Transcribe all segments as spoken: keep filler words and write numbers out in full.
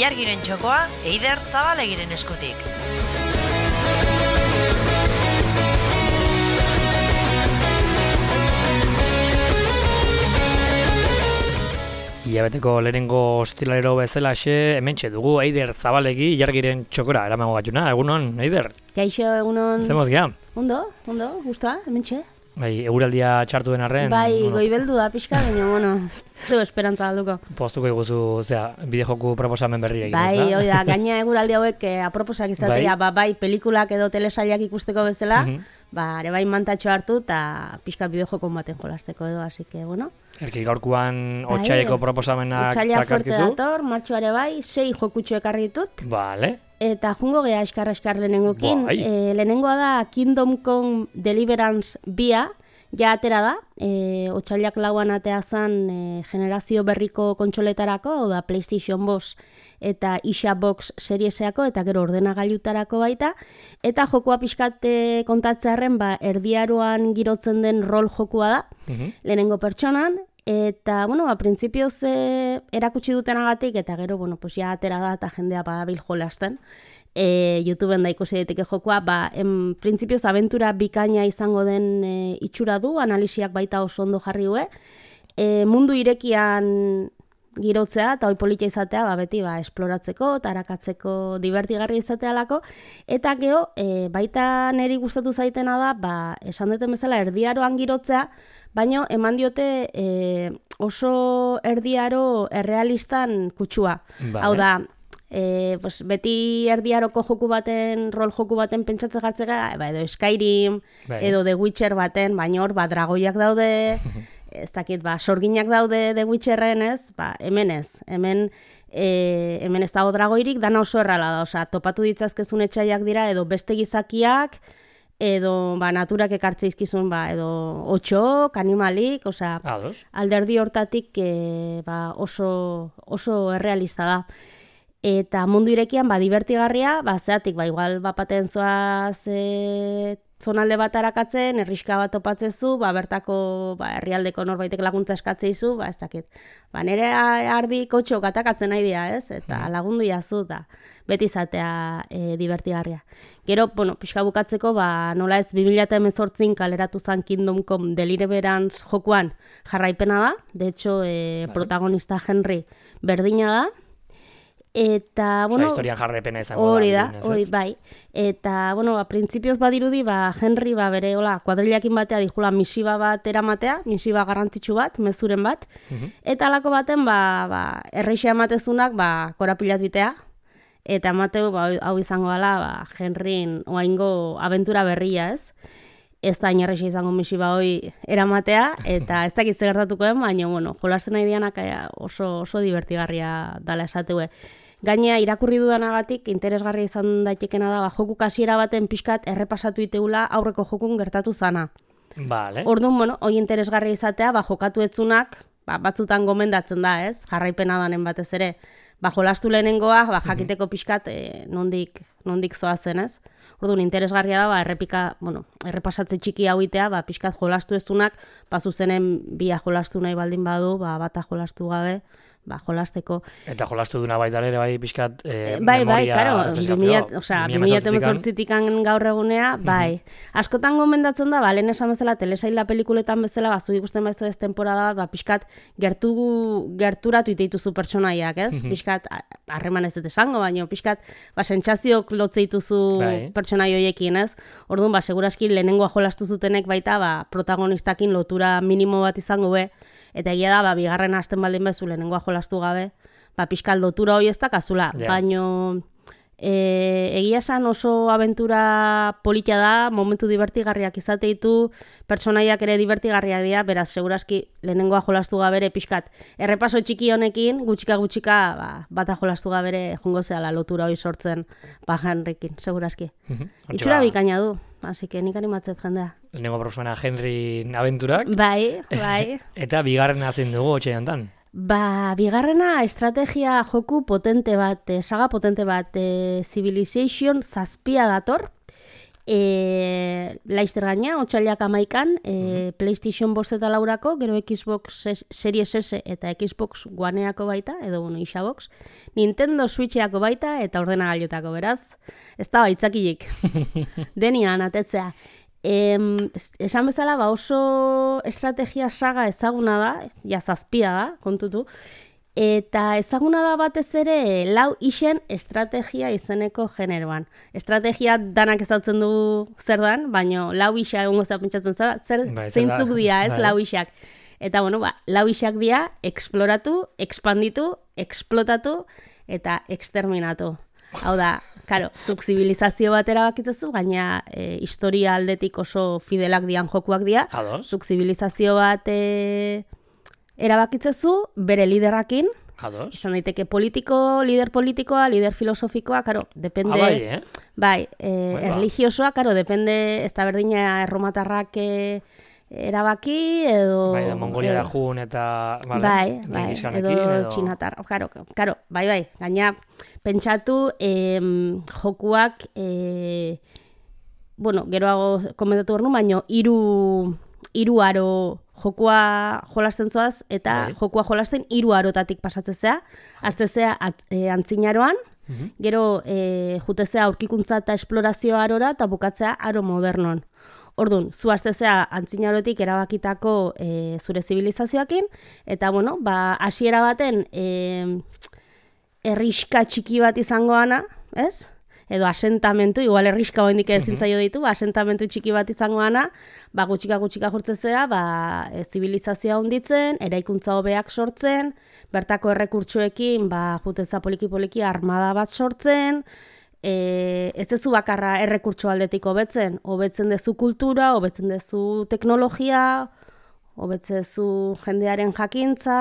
ilargiren txokoa Eider Zabalegiren eskutik. Hilabeteko lehenengo ostilalero bezalaxe, hementxe dugu Eider Zabalegi ilargiren txokora eramango gatuna. Egunon, Eider? Gaixo, egunon... Zemoz gea? Ondo, ondo, guztua, hementxe. Bai, eguraldia txartu den arren... Bai, bueno, goibeldu da pixka, baina, bueno, ez du esperantza alduko. Poztuko iguzu, zera, bideojoku proposamen berri egin, bai, ez da? Bai, hoi da, gaina eguraldi hauek eh, aproposak izatea, bai? Ba, bai, pelikulak edo telesailak ikusteko bezala, uh -huh. ba, ere bai mantatxo hartu eta pixka bideojokon baten jolasteko edo, así que, bueno... Erki gaurkuan bai, otxaileko proposamenak otxaila takarkizu? Otxaila fuerte dator, martxoare bai, sei jokutxo ekarri ditut. Vale. Eta jungo geha eskar-eskar lehenengokin. Bai. E, lehenengoa da Kingdom Come Deliverance bia, ja atera da, e, otxailak lauan atea zen e, generazio berriko kontsoletarako, hau da PlayStation bost eta Isha Box serieseako, eta gero ordenagailutarako baita, eta jokua pixkate kontatzearen, ba, erdiaroan girotzen den rol jokua da, uh-huh. lehenengo pertsonan, eta, bueno, ba, printzipioz e, erakutsi dutenagatik, eta gero, bueno, pues ja atera da, eta jendea badabil jolasten, e, YouTubeen da ikusi daiteke jokua, ba, en printzipioz abentura bikaina izango den e, itxura du, analisiak baita oso ondo jarri hue, e, mundu irekian girotzea, eta hoi politia izatea, ba, beti, ba, esploratzeko, eta arakatzeko divertigarri izatea lako, eta geho, e, baita niri gustatu zaitena da, ba, esan duten bezala erdiaroan girotzea, baina eman diote e, oso erdiaro errealistan kutsua. Vale. Hau da, e, pues, beti erdiaroko joku baten, rol joku baten pentsatze jartzera, ba, edo Skyrim, bai. Edo The Witcher baten, baina hor, ba, dragoiak daude, ez dakit, ba, sorginak daude The Witcherren, ez? Ba, hemen ez, hemen, e, hemen ez dago dragoirik, dana oso errala da, osea, topatu ditzazkezun etxaiak dira, edo beste gizakiak, edo ba, naturak ekartze izkizun, ba, edo otxok, animalik, osea, alderdi hortatik e, ba, oso, oso errealista da. Eta mundu irekian, ba, divertigarria, ba, zeatik, ba, igual, bapaten zoaz e, zonalde bat arakatzen, herriska bat topatzezu, ba, bertako ba, herrialdeko norbaitek laguntza eskatzeizu, ba, ez dakit. Ba, nire ardi kotxok atakatzen nahi dira, ez? Eta lagundu jazu, da, beti izatea e, divertigarria. Gero, bueno, pixka bukatzeko, ba, nola ez bi mila hemezortzin kaleratu zen Kingdom Come Deliverance jokuan jarraipena da, de hecho, e, vale. Protagonista Henry berdina da, eta, bueno... Osa, historian jarraipena izango da. Hori da, hori, bai. Eta, bueno, ba, printzipioz badirudi, ba, Henry, ba, bere, hola, kuadrilakin batea dijula misiba bat eramatea, misiba garrantzitsu bat, mezuren bat, uh-huh. Eta alako baten, ba, ba, erreixea ematezunak, ba, korapilat bitea, eta emateu, ba, hau izango dela, ba, Henryn oaingo abentura berria, ez? Ez da inerreixa izango misiba hoi eramatea, eta ez dakit gertatukoen, baina, bueno, jolasten nahi dianak oso, oso divertigarria dala esateue. Gainea, irakurri dudanagatik, interesgarria izan daitekena da, ba, joku kasiera baten pixkat errepasatu iteula aurreko jokun gertatu zana. Vale. Orduan, bueno, hoi interesgarria izatea, ba, jokatu etzunak, ba, batzutan gomendatzen da, ez? Jarraipena danen batez ere. Ba, jolastu lehenengoa, ba, jakiteko pixkat e, nondik, nondik zoazen, ez? Orduan, interesgarria da, ba, errepika, bueno, errepasatze txiki hauitea, ba, pixkat jolastu ezunak, ba, zuzenen bia jolastu nahi baldin badu, ba, bata jolastu gabe, ba, jolasteko. Eta jolastu duna baita ere, bai, pixkat e, bai, memoria... Bai, karo, bi mila hemezortzikan gaur egunea, bai. Askotan gomendatzen da, ba, lehen esan bezala, telesaila pelikuletan bezala, ba, zu ikusten baizu ez temporada, ba, pixkat gertu, gerturatu iteituzu pertsonaiak, ez? Pixkat, harreman ez dut esango, baina pixkat, ba, sentsazioak lotze dituzu bai. Pertsonai hoiekin, ez? Orduan, ba, seguraski lehenengoa jolastu zutenek baita, ba, protagonistakin lotura minimo bat izango be, eta egia da, ba, bigarren hasten baldin bezu lehenengoa jolastu gabe, ba, pixkal lotura hoi ez dakazula, yeah. Baino e, egia esan oso abentura politia da, momentu divertigarriak izate ditu, pertsonaiak ere divertigarriak dira, beraz, seguraski lehenengoa jolastu gabere pixkat. Errepaso txiki honekin, gutxika-gutxika, ba, bata jolastu gabere jungo zehala lotura hoi sortzen, ba, Henrykin, seguraski. Itxura bikaina du. Así que nik animatzet jendea. Lehenengo prosumena Henry abenturak. Bai, bai. Eta bigarrena zein dugu otxeantan? Ba, bigarrena estrategia joku potente bat, saga potente bat, e, Civilization zazpia dator. E, laizter gaina, otxailak amaikan, e, PlayStation bost eta laurako, gero Xbox Series S eta Xbox Oneako baita, edo bueno, Xbox, Nintendo Switcheako baita eta ordenagailutako, beraz. Ez da baitzakilik. Denian, atetzea. Em, esan bezala, ba oso estrategia saga ezaguna da, ja zazpia da, kontutu, eta ezaguna da batez ere lau isen estrategia izeneko generoan. Estrategia danak ezautzen du zer dan, baina lau isa egongo zea pentsatzen zara, zer Bai, zeintzuk dira, ez, bai. lau isak. Eta bueno, ba, lau isak dira, exploratu, expanditu, explotatu eta exterminatu. Hau da, karo, zuk zibilizazio bat erabakitzezu, gaina e, historia aldetik oso fidelak dian jokuak dira. Ados. Zuk zibilizazio bat e, erabakitzezu, bere liderakin, Ados. izan daiteke politiko, lider politikoa, lider filosofikoa, karo, depende... Ah, bai, eh? Bai, e, Bai, ba. erlijiosoa, karo, depende, ez da berdina erromatarrak e, erabaki, edo... Bai, da Mongoliara edo- jun eta... Vale, Bai, bai, Gengis edo, Khanekin, txinatar, karo, karo, bai, bai, gaina pentsatu em, jokuak, e, bueno, geroago komentatu behar nu, baino, hiru hiru aro jokua jolasten zoaz, eta Bai. jokua jolasten hiru arotatik pasatzezea, aztezea e, antzinaroan, gero e, jutezea aurkikuntza eta esplorazio arora, eta bukatzea aro modernon. Orduan, zu aztezea antzinarotik erabakitako e, zure zibilizazioakin, eta bueno, ba, hasiera baten e, erriska txiki bat izangoana, ez? Edo asentamentu, igual erriska hoendik ezin zaio ditu, ba, asentamentu txiki bat izangoana, ba, gutxika gutxika jurtzezea, ba, e, zibilizazioa hunditzen, eraikuntza hobeak sortzen, bertako errekurtsoekin, ba, juteza poliki-poliki armada bat sortzen, e, ez dezu bakarra errekurtso aldetik hobetzen, hobetzen dezu kultura, hobetzen dezu teknologia, hobetzen dezu jendearen jakintza,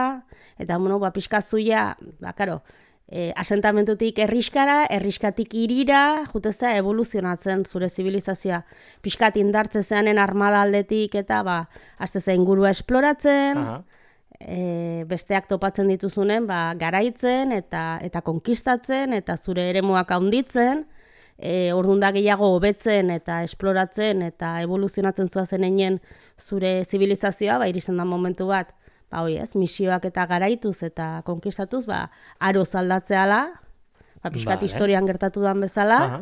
eta, bueno, ba, pixka zuia, ba, karo, E, asentamentutik erriskara, erriskatik irira, jutezea evoluzionatzen zure zibilizazioa. Piskat indartzezeanen armada aldetik eta ba, aztezea ingurua esploratzen, Aha. e, besteak topatzen dituzunen ba, garaitzen eta eta konkistatzen eta zure eremuak handitzen, e, orduan da gehiago hobetzen eta esploratzen eta evoluzionatzen zuazen einen zure zibilizazioa, ba, iristen da momentu bat, ba, hoi ez, misioak eta garaituz eta konkistatuz, ba, aro zaldatzeala, ba, pixkat Vale. historian gertatu dan bezala, Aha.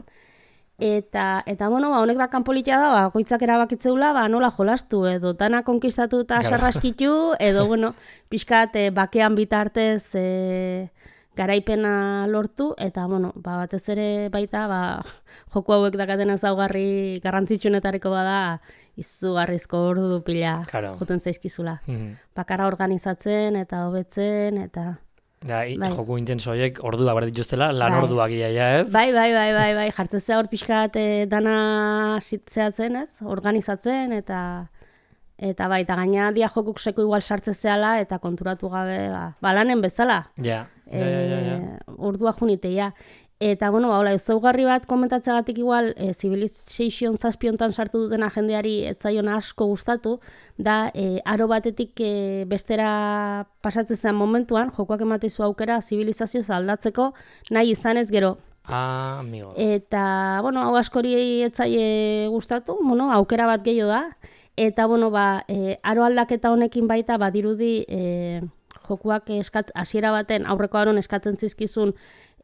eta, eta bueno, ba, honek da kanpolitia da, ba, koitzak erabakitzeula, ba, nola jolastu, edo dana konkistatu eta Claro. sarraskitu, edo, bueno, pixkat e, bakean bitartez e, garaipena lortu, eta, bueno, ba, batez ere baita, ba, joku hauek dakaten ezaugarri garrantzitsunetariko bada, izugarrizko ordu pila Claro. joten zaizkizula. Mhm. Bakarra organizatzen eta hobetzen eta... Da, i- Bai. joku intenso horiek ordua behar dituztela, lan Bai. orduak ia, ja, ez? Bai, bai, bai, bai, bai, jartzezea hor pixkat eh, dana zitzeatzen, ez? Organizatzen eta... Eta bai, eta gaina dia jokuk seko igual sartzezeala eta konturatu gabe, ba, ba lanen bezala. Ja, ja, ja, ja, ja. E, ordua juniteia. Eta, bueno, ba, hola, ezaugarri bat komentatzeagatik igual, e, Civilization zazpiontan sartu duten jendeari etzaiona asko gustatu, da, e, aro batetik e, bestera pasatzen zen momentuan, jokoak ematezu aukera zibilizazioz aldatzeko, nahi izanez gero. Ah, amigo. Eta, bueno, hau askori etzaie gustatu, bueno, aukera bat gehiago da, eta, bueno, ba, e, aro aldaketa honekin baita, badirudi, e, jokuak eskat, hasiera baten aurreko aron eskatzen zizkizun,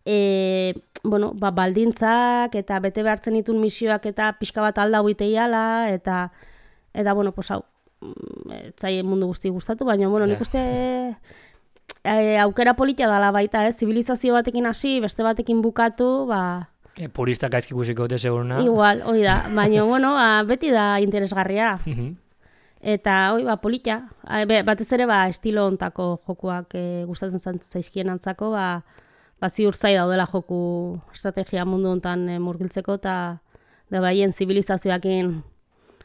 e, bueno, ba, baldintzak eta bete behartzen ditun misioak eta pixka bat alda huiteiala, eta, eta, bueno, pues hau, mm, etzaie mundu guzti gustatu, baina, bueno, Ja. nik uste e, aukera politia dala baita, eh? Zibilizazio batekin hasi, beste batekin bukatu, ba, E, purista gaizki ikusiko dute seguruna. igual, hori da, baina, bueno, ba, beti da interesgarria. Mhm. Eta hoi ba politia, A, be- batez ere ba estilo hontako jokuak e, gustatzen zan- zaizkien antzako, ba ba ziur zai daudela joku estrategia mundu hontan e, murgiltzeko eta da baien zibilizazioekin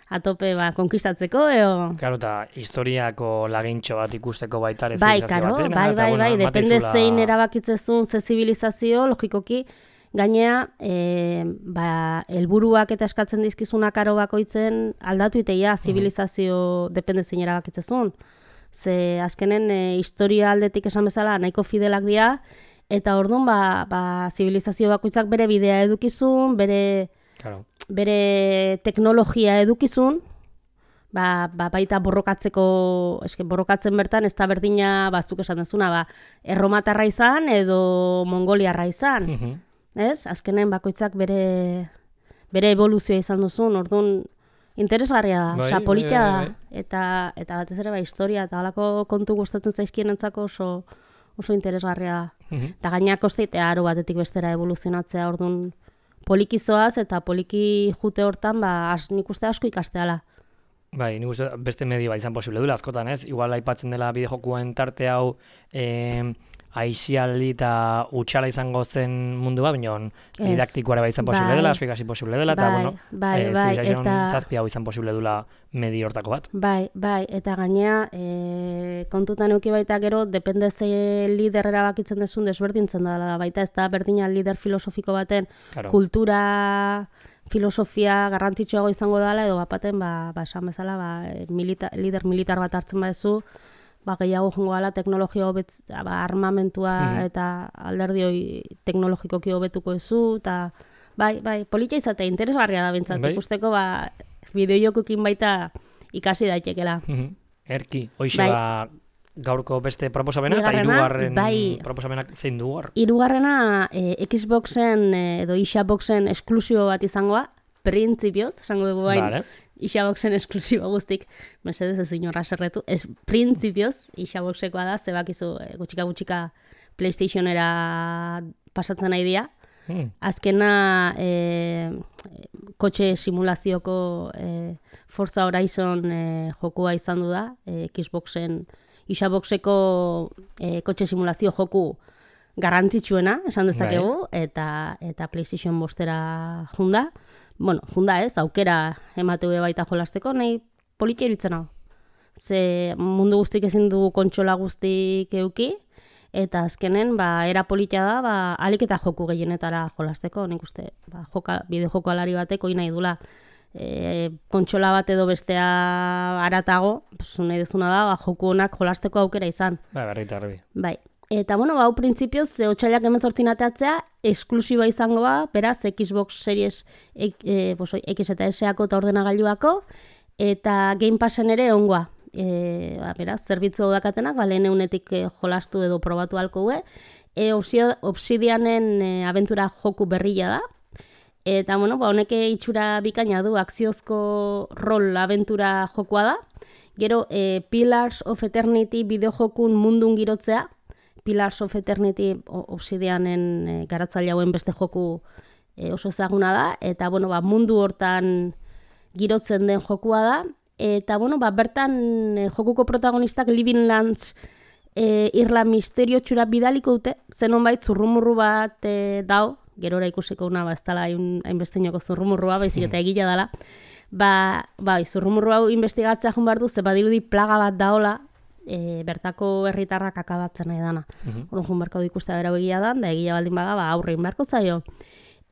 atope ba konkistatzeko edo Claro, eta historiako lagintxo bat ikusteko baita ere bai, zibilizazio karo, batena, bai, eta, bai, bueno, bai, depende emateizula- zein erabakitzezun ze zibilizazio, logikoki, gainea, e, ba, helburuak eta eskatzen dizkizunak aro bakoitzen aldatu iteia zibilizazio depende zein erabakitzezun. Ze azkenen e, historia aldetik esan bezala nahiko fidelak dira, eta orduan ba, ba, zibilizazio bakoitzak bere bidea edukizun, bere Claro. bere teknologia edukizun, ba, ba, baita borrokatzeko, eske borrokatzen bertan ez da berdina, bazuk esan dezuna, ba, erromatarra izan edo mongoliarra izan. Mhm. Ez? Azkenen bakoitzak bere bere evoluzioa izan duzun, orduan interesgarria da, Bai, osea, polita bai, da, bai, bai. eta, eta batez ere ba, historia, eta halako kontu gustatzen zaizkienentzako oso, oso interesgarria da. Mhm. Eta gainak kosteitea aro batetik bestera evoluzionatzea, orduan polikizoaz eta poliki jute hortan, ba, as, nik uste asko ikasteala. Bai, nik uste beste medio bat izan posible dula askotan, ez? Igual aipatzen dela bideojokuen tarte hau eh, aizialdi eta utxala izango zen mundua, baina Ez. didaktikoare bai izan posible Bai. dela, asko ikasi posible dela, eta Bai, bueno, bai, eh, bai, Civilization eta- zazpi hau izan posible dula medio hortako bat. Bai, bai, eta gainea, e, kontutan euki baita gero, depende ze lider erabakitzen dezun desberdintzen da, baita ez da berdina lider filosofiko baten Claro. kultura, filosofia garrantzitsuago izango dela, edo bapaten, ba, ba esan bezala, ba, milita, lider militar bat hartzen badezu, ba, gehiago jongo gala teknologia hobetz, ba, armamentua Mhm. eta alderdi hori teknologikoki hobetuko ezu, eta bai, bai, politia izatea interesgarria da bintzat, Bai. ikusteko, ba, bideojokoekin baita ikasi daitekela. Mhm. Erki, hoixe Bai. ba gaurko beste proposamena, eta Bigarrena, hirugarren bai. proposamenak zein du hor. Hirugarrena e, Xboxen e, edo Xboxen esklusio bat izangoa, printzipioz, esango dugu bain, Vale. Xboxen esklusibo guztik, mesedez ez inorra serretu, ez printzipioz, Xboxekoa da, zebakizu e, gutxika gutxika PlayStationera pasatzen nahi dira. Hmm. Azkena e, kotxe simulazioko e, Forza Horizon e, jokua izan du da, e, Xboxen, Xboxeko e, kotxe simulazio joku garrantzitsuena, esan dezakegu, eta eta PlayStation bostera junda. Bueno, junda ez, aukera emate be baita jolasteko, nahi politia iruditzen hau. Ze mundu guztik ezin du kontsola guztik euki, eta azkenen, ba, era politia da, ba, alik eta joku gehienetara jolasteko, nik uste, ba, joka, bideo alari bateko nahi dula, e, kontsola bat edo bestea aratago, pues, nahi dezuna da, ba, joku honak jolasteko aukera izan. Ba, berri eta garbi. Bai. Eta, bueno, ba, hau printzipioz, ze otxailak hemezortzin ateatzea, esklusiba izango ba, beraz, Xbox Series e, e, pues, X eta S-ako eta ordenagailuako, eta Game Passen ere ongoa. E, ba, beraz, zerbitzu hau dakatenak, ba, lehen eunetik e, jolastu edo probatu halko gue. E, Obsidianen e, abentura joku berria da. Eta, bueno, ba, honeke itxura bikaina du, akziozko rol abentura jokua da. Gero, e, Pillars of Eternity bideojokun mundun girotzea. Pillars of Eternity Obsidianen e, garatzaile hauen beste joku e, oso ezaguna da. Eta, bueno, ba, mundu hortan girotzen den jokua da. Eta, bueno, ba, bertan e, jokuko protagonistak Living Lands e, irla misterio txura bidaliko dute. Zenon bait, zurrumurru bat e, dao, gerora ikusiko una, ba, ez dala hainbesteinoko zurrumurrua, baizik eta egila dela. Ba, bai, zurrumurru hau investigatzea jun behar du, ze badirudi plaga bat daola, e, bertako herritarrak akabatzen nahi dana. Mhm. Orduan jun beharko ikustea berau egia da, da egia baldin bada, ba, aurrein beharko zaio.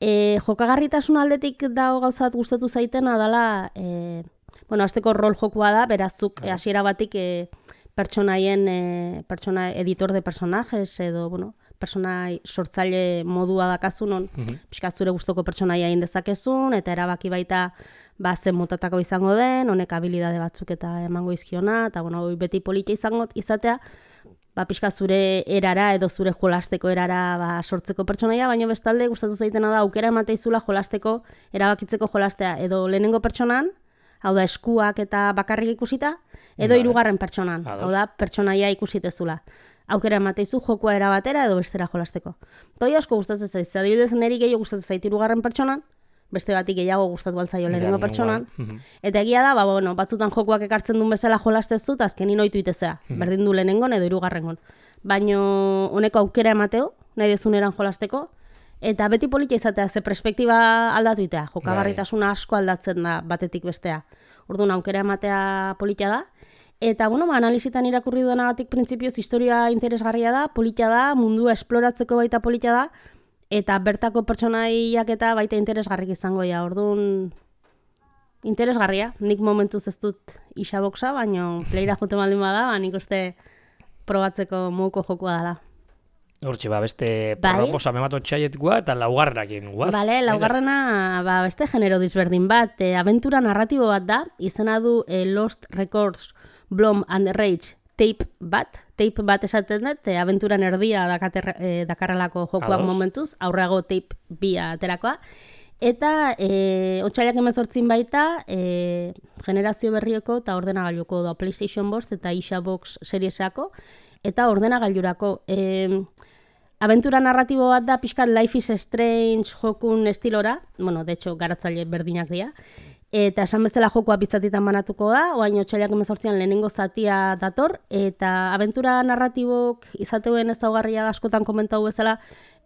E, jokagarritasun aldetik dago gauzat gustatu zaitena dala, e, bueno, azteko rol jokua da, berazuk e, hasiera batik e, pertsonaien, e, pertsona, editor de personajes, edo, bueno, pertsonai sortzaile modua dakazu non, Mhm. pixka zure gustoko pertsonaia egin dezakezun, eta erabaki baita ba, zen motatako izango den, honek habilidade batzuk eta emango izkiona, eta bueno, hoi beti politia izango izatea, ba, pixka zure erara edo zure jolasteko erara ba, sortzeko pertsonaia, baina bestalde gustatu zaitena da aukera emateizula jolasteko, erabakitzeko jolastea, edo lehenengo pertsonan, hau da eskuak eta bakarrik ikusita, edo Vale. hirugarren pertsonan, Ados. hau da pertsonaia ikusitezula. Aukera emateizu jokua era batera edo bestera jolasteko. Toi asko gustatzen zaiz, adibidez neri gehiago gustatzen zait hirugarren pertsonan, beste batik gehiago gustatu altzaio lehenengo pertsonan. Mhm. Eta egia da, ba, bueno, batzutan jokuak ekartzen duen bezala jolastezu, eta azkenin ohitu itezea. Berdin du lehenengon edo hirugarrengon. Baino honeko aukera emateo, nahi dezuneran jolasteko, eta beti politia izatea, ze perspektiba aldatu itea. Jokagarritasuna asko aldatzen da batetik bestea. Orduan aukera ematea politia da. Eta, bueno, ba, analizitan irakurri duenagatik printzipioz historia interesgarria da, politia da, mundua esploratzeko baita politia da, eta bertako pertsonaiak eta baita interesgarrik izango ja. Orduan, interesgarria. Nik momentuz ez dut Xboxa, baina playera jote baldin bada, ba, nik uste probatzeko moduko jokua dela. Hortxe, ba, beste Bai. proposamen bat otxaietikoa eta laugarrenakin, guaz? Bale, laugarrena ba, beste genero disberdin bat, e, abentura narratibo bat da, izena du e, Lost Records, Blom and the Rage tape bat, tape bat esaten dut, e, abenturan erdia dakater, e, dakarrelako jokoak Ados. momentuz, aurreago tape bia aterakoa, eta e, otsailak hemezortzin baita, e, generazio berrioko eta ordenagailuko da PlayStation bost eta Xbox Seriesako, eta ordenagailurako. E, Abentura narratibo bat da, pixkat Life is Strange jokun estilora, bueno, de hecho, garatzaile berdinak dira, eta esan bezala jokoa bizatitan banatuko da, oain otsailak hemezortzian lehenengo zatia dator, eta abentura narratibok izateuen ez daugarria askotan komentau bezala,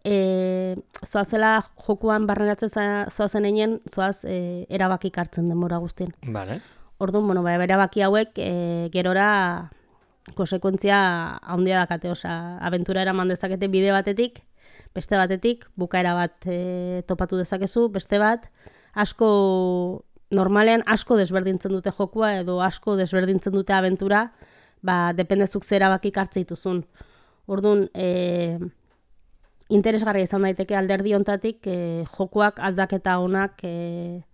e, zoazela jokuan barneratzen zoazen einen, zoaz e, erabakik hartzen denbora guztien. Vale. Orduan, bueno, ba, erabaki hauek e, gerora konsekuentzia handia dakate, osea, abentura eraman dezakete bide batetik, beste batetik, bukaera bat e, topatu dezakezu, beste bat, asko, normalean asko desberdintzen dute jokua, edo asko desberdintzen dute abentura, ba, dependezuk zer erabakik hartze dituzun. Orduan, e, interesgarria izan daiteke alderdi hontatik, e, jokuak aldaketa honak e,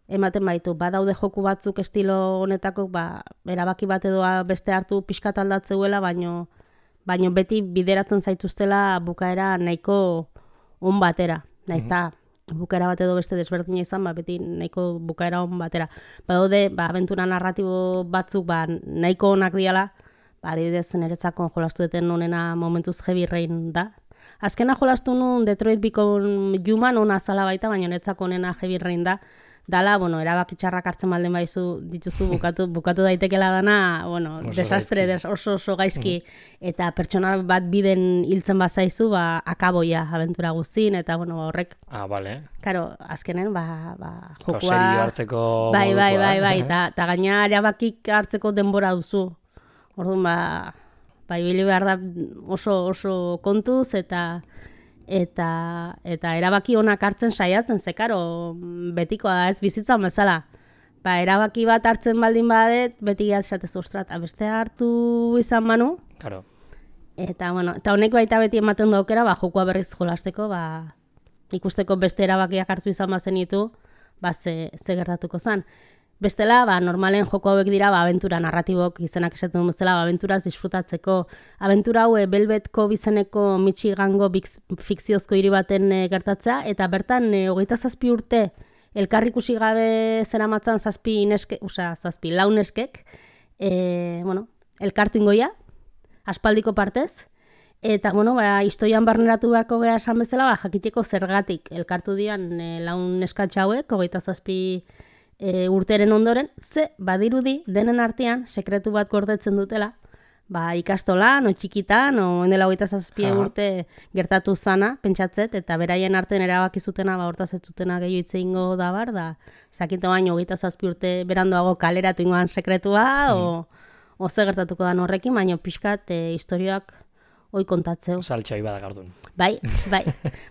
ematen baitu. Badaude joku batzuk estilo honetako, ba, erabaki bat edo beste hartu pixkat aldatzeuela, baino, baino beti bideratzen zaituztela bukaera nahiko on batera. Naizta, bukaera bat edo beste desberdina izan, ba, beti nahiko bukaera on batera. Badaude, ba, abentura narratibo batzuk ba, nahiko onak diala, ba, adibidez, niretzako jolastu duten onena momentuz Heavy Rain da. Azkena jolastu nun Detroit Become Human ona zala baita, baina niretzako onena Heavy Rain da. Dala, bueno, erabaki txarrak hartzen malden baizu dituzu bukatu, bukatu daitekela dana, bueno, oso desastre, des, oso oso gaizki, mm. eta pertsona bat biden hiltzen bazaizu, ba, akaboia abentura guztin, eta, bueno, horrek. Ah, bale. Karo, azkenen, ba, ba jokua. Serio hartzeko bai, bai, modukoa, bai, bai, eh? eta ta gaina erabakik hartzeko denbora duzu. Orduan, ba, ba, ibili behar da oso, oso kontuz, eta... Eta, eta erabaki onak hartzen saiatzen, ze karo, betikoa da ez bizitzan bezala. Ba, erabaki bat hartzen baldin badet, beti esatez ostrat, beste hartu izan manu. Claro. Eta, bueno, eta honek baita beti ematen da aukera, ba, jokoa berriz jolasteko, ba, ikusteko beste erabakiak hartu izan bazen ditu, ba, ze, ze gertatuko zen. Bestela, ba, normalen joko hauek dira, ba, abentura narratibok izenak esaten duen bezala, ba, abenturaz disfrutatzeko. Abentura hau Velvet Cove izeneko Michigango fikziozko hiri baten e, gertatzea, eta bertan e, hogeita zazpi urte elkarrikusi gabe zeramatzan zazpi neske, osea, zazpi launeskek, e, bueno, elkartu ingoia, aspaldiko partez, eta, bueno, ba, historian barneratu beharko geha esan bezala, ba, jakiteko zergatik elkartu dian e, laun neskatxa hauek, hogeita zazpi E, urteren ondoren, ze badirudi denen artean sekretu bat gordetzen dutela, ba, ikastolan, o txikitan, o endela hogeita zazpi urte gertatu zana, pentsatzet, eta beraien artean erabaki zutena, ba, hortaz ez zutena gehiago hitz egingo da bar, da, zakite baino hogeita zazpi urte berandoago kaleratu ingoan sekretua, mm. o, o ze gertatuko da horrekin, baino pixkat e, historioak hoi kontatzeu. Saltxai badakardun. Bai, bai,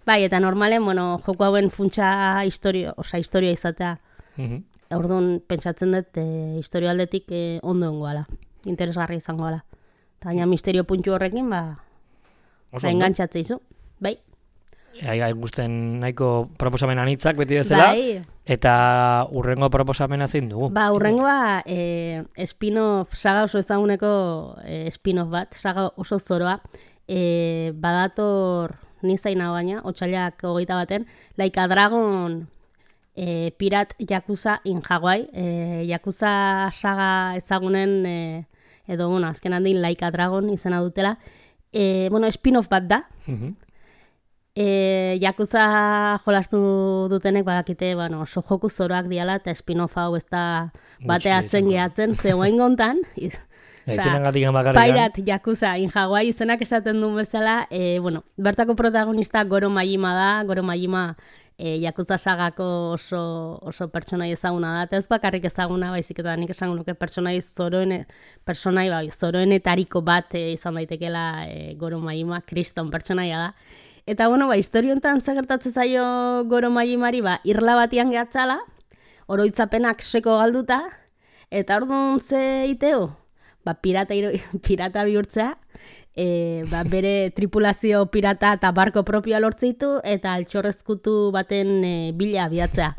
bai, eta normalen, bueno, joko hauen funtsa historio, oza, historia izatea. Mhm. Orduan, pentsatzen dut, e, historialdetik e, ondo engoala, interesgarri izango ala. Eta gaina misterio puntu horrekin, ba, ba engantxatzea izu. Bai. Ai, gai, guzten nahiko proposamen anitzak beti bezala, bai. Eta urrengo proposamena zein dugu? Ba, urrengoa e, spin-off, saga oso ezaguneko e, spin-off bat, saga oso zoroa, e, badator nizaina baina, otsailak hogeita baten, Like a Dragon... E, Pirat Yakuza in Hawaii, e, Yakuza saga ezagunen, e, edo, bueno, azken handin Like a Dragon izena dutela, e, bueno, spin-off bat da. Uh-huh. e, Yakuza jolastu dutenek badakite, bueno, oso joku zoroak diala, eta spin-off hau ez da bateatzen gehatzen, ze guain gontan, Pirat Yakuza in Hawaii izenak esaten duen bezala, e, bueno, bertako protagonista Goro Majima da, Goro Majima E, Yakuza sagako oso, oso pertsonai ezaguna da, eta ez bakarrik ezaguna, baizik eta nik esango nuke pertsonai zoroen, pertsonai bai, zoroenetariko bat e, izan daitekela e, Goro Majima, kriston pertsonaia da. Eta, bueno, ba, historiontan zegertatzen zaio Goro Majimari, ba, irla batian gehatzala, oroitzapenak seko galduta, eta orduan ze iteo? Ba, pirata, pirata bihurtzea, e, ba, bere tripulazio pirata eta barko propioa lortzeitu eta altxorrezkutu baten e, bila abiatzea.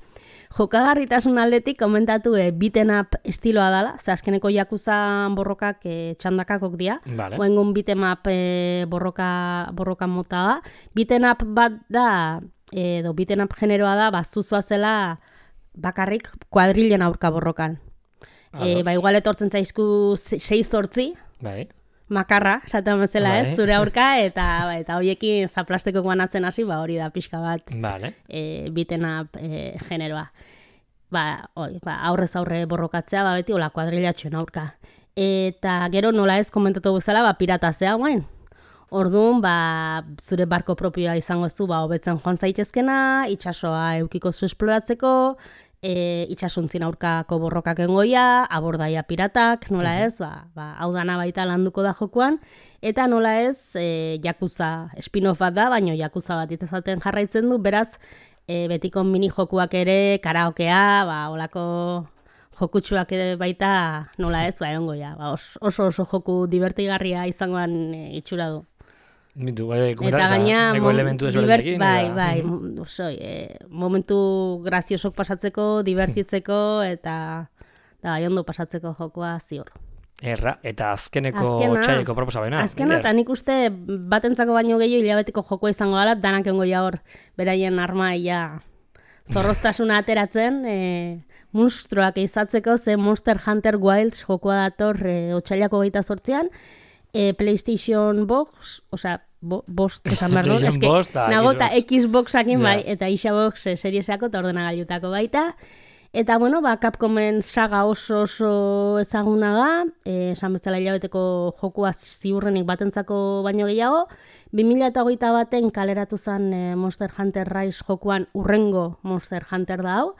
Jokagarritasun aldetik komentatu e, beaten up estiloa dela, ze azkeneko Yakuza borrokak e, txandakakok dira. Vale. Oengun beaten up e, borroka, borroka mota da. Beaten up bat da, edo beaten up generoa da, ba, zuzua zela bakarrik kuadrilen aurka borrokan. E, ba, igual etortzen zaizku sei zortzi, bai. makarra, esaten bezala Bai. ez, zure aurka, eta eta hoiekin zaplasteko guanatzen hasi, ba, hori da pixka bat Vale. e, beaten up e, generoa. Ba, oi, ba, aurrez aurre borrokatzea, ba, beti hola kuadrilatxoen aurka. Eta gero nola ez komentatu bezala, ba, piratazea guain. Orduan, ba, zure barko propioa izango zu, ba, hobetzen joan zaitezkena, itsasoa eukiko zu esploratzeko, e, itxasuntzin aurkako borrokak engoia, abordaia piratak, nola ez, ba, ba, hau dana baita landuko da jokuan, eta nola ez, e, Yakuza spin-off bat da, baino Yakuza bat itezaten jarraitzen du, beraz, e, betiko mini jokuak ere, karaokea, ba, olako jokutsuak ere baita, nola ez, ba, egongoia, ba, oso oso joku divertigarria izangoan e, itxura du. Bitu, bai, Eta gaina, eko elementu desberdinekin. bai, bai, oso, e, momentu graziosok pasatzeko, divertitzeko, eta da, bai, ondo pasatzeko jokoa ziur. Erra, eta azkeneko Azkena, txaileko proposabena. Azkena, eta nik uste batentzako baino gehiago hilabeteko jokoa izango dela, danak egongo ja hor, beraien arma ia zorroztasuna ateratzen, e, monstruak izatzeko, ze Monster Hunter Wilds jokoa dator e, otsailako geita sortzean, e, PlayStation Box, osea, bo, bost, esan behar dut, PlayStation Box eta nagota Xbox. Xboxakin bai, Ja. eta Xbox e, serieseako eta ordenagailutako baita. Eta, bueno, ba, Capcomen saga oso oso ezaguna da, e, esan bezala hilabeteko jokua ziurrenik batentzako baino gehiago, bi mila hogeita baten kaleratu zen e, Monster Hunter Rise jokuan urrengo Monster Hunter da hau,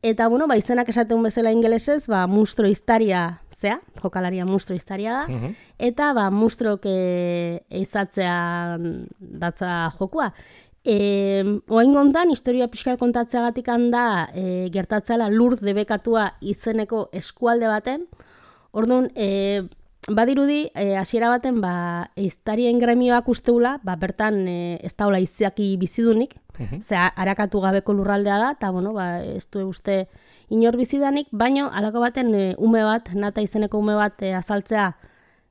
eta, bueno, ba, izenak esaten bezala ingelesez, ba, monstro iztaria, zea, jokalaria monstro iztaria da, Mhm. eta, ba, monstrok e, eizatzean datza jokua. E, oain gontan, historia pixka kontatzeagatik handa e, gertatzela lur debekatua izeneko eskualde baten. Orduan, e, badirudi, e, hasiera baten, ba, eiztarien gremioak usteula, ba, bertan e, ez daula izaki bizidunik, Mhm. zera, harakatu gabeko lurraldea da, eta, bueno, ba, ez du uste inor bizidanik, baino, alako baten e, ume bat, nata izeneko ume bat e, azaltzea,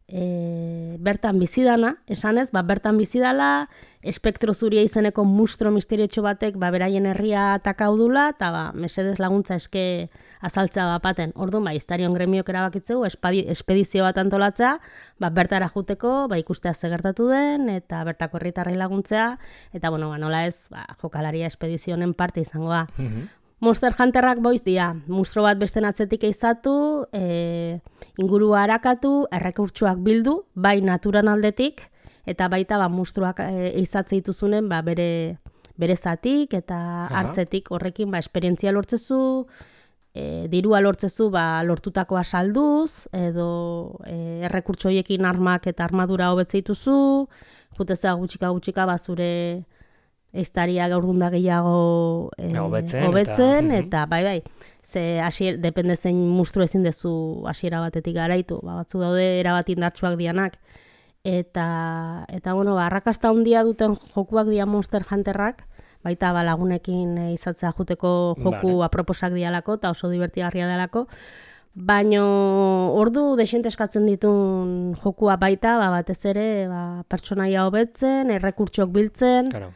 E, bertan bizidana, esanez, ba, bertan bizidala, espektro zuria izeneko mustro misteriotxo batek ba, beraien herria atakau dula, eta ba, mesedez laguntza eske azaltzea bapaten. Orduan, ba, historion gremiok erabakitzeu, espedizio bat antolatzea, ba, bertara juteko, ba, ikustea ze gertatu den, eta bertako herritarrei laguntzea, eta, bueno, ba, nola ez, ba, jokalaria espedizionen parte izango da. Mhm. Monster Hunterrak boiz dira, monstro bat besten atzetik eizatu, e, ingurua harakatu, errekurtsuak bildu, bai naturan aldetik, eta baita ba, monstruak e, eizatze dituzunen ba, bere, bere zatik eta Aha. hartzetik horrekin ba, esperientzia lortzezu, e, dirua lortzezu ba, lortutakoa salduz, edo e, errekurtso horiekin armak eta armadura hobetze dituzu, jutezea gutxika gutxika ba, zure eiztaria gaurdunda gehiago e, Hobetzen, hobetzen, eta- eta, bai, bai, ze hasier, depende zein mustru ezin dezu hasiera batetik garaitu, ba, batzu daude erabat indartsuak dianak, eta, eta bueno, ba, arrakasta handia duten jokuak dia Monster Hunterrak, baita ba, lagunekin e, izatzea juteko joku Vale. aproposak dialako, eta oso divertigarria delako, baino ordu desente eskatzen ditun jokua baita, ba, batez ere ba, pertsonaia hobetzen, errekurtsoak biltzen, Claro.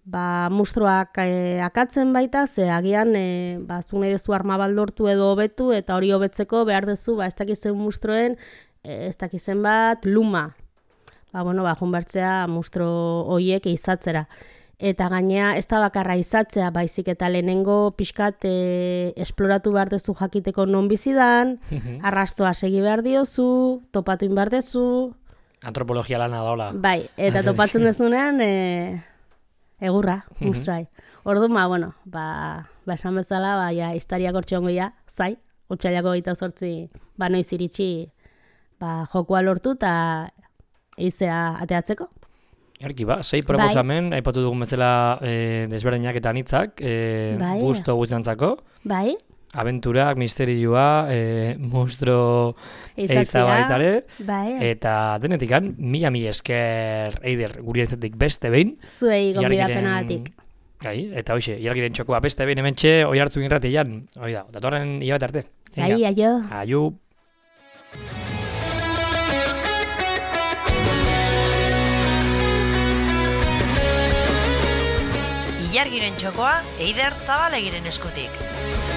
ba, monstruak e, akatzen baita, ze agian e, ba, zu nahi dezu arma baldortu edo hobetu, eta hori hobetzeko behar dezu, ba, ez dakizen monstruen, e, ez dakizen bat, luma. Ba, bueno, ba, junbertzea monstro hoiek izatzera. Eta gainea, ez da bakarra izatzea, baizik eta lehenengo pixkat e, esploratu behar dezu jakiteko non bizidan, arrastoa segi behar diozu, topatu behar dezu, Antropologia lana daola. bai, eta topatzen dezunean, e, egurra, monstruai. Orduan, ba, bueno, ba, ba esan bezala, ba, ja, historiak hortxongo ja, zai, otsailako gaita zortzi, ba, noiz iritsi, ba, jokua lortu eta eizea ateatzeko. Erki ba, sei proposamen, aipatu dugun bezala e, desberdinak eta anitzak, e, Bai. gusto guztiantzako. Bai, abenturak, misterioa, e, monstro eiza baitare, bai. eta denetikan, mila mila esker Eider guri entzetik beste behin. Zuei gonbidapenagatik. Gai, eta hoxe, ilargiren txokoa beste behin hementxe, oi hartzu irratian, oi da, datorren hilabete arte. Bai, aio. Aio. Ilargiren txokoa Eider Zabalegiren eskutik.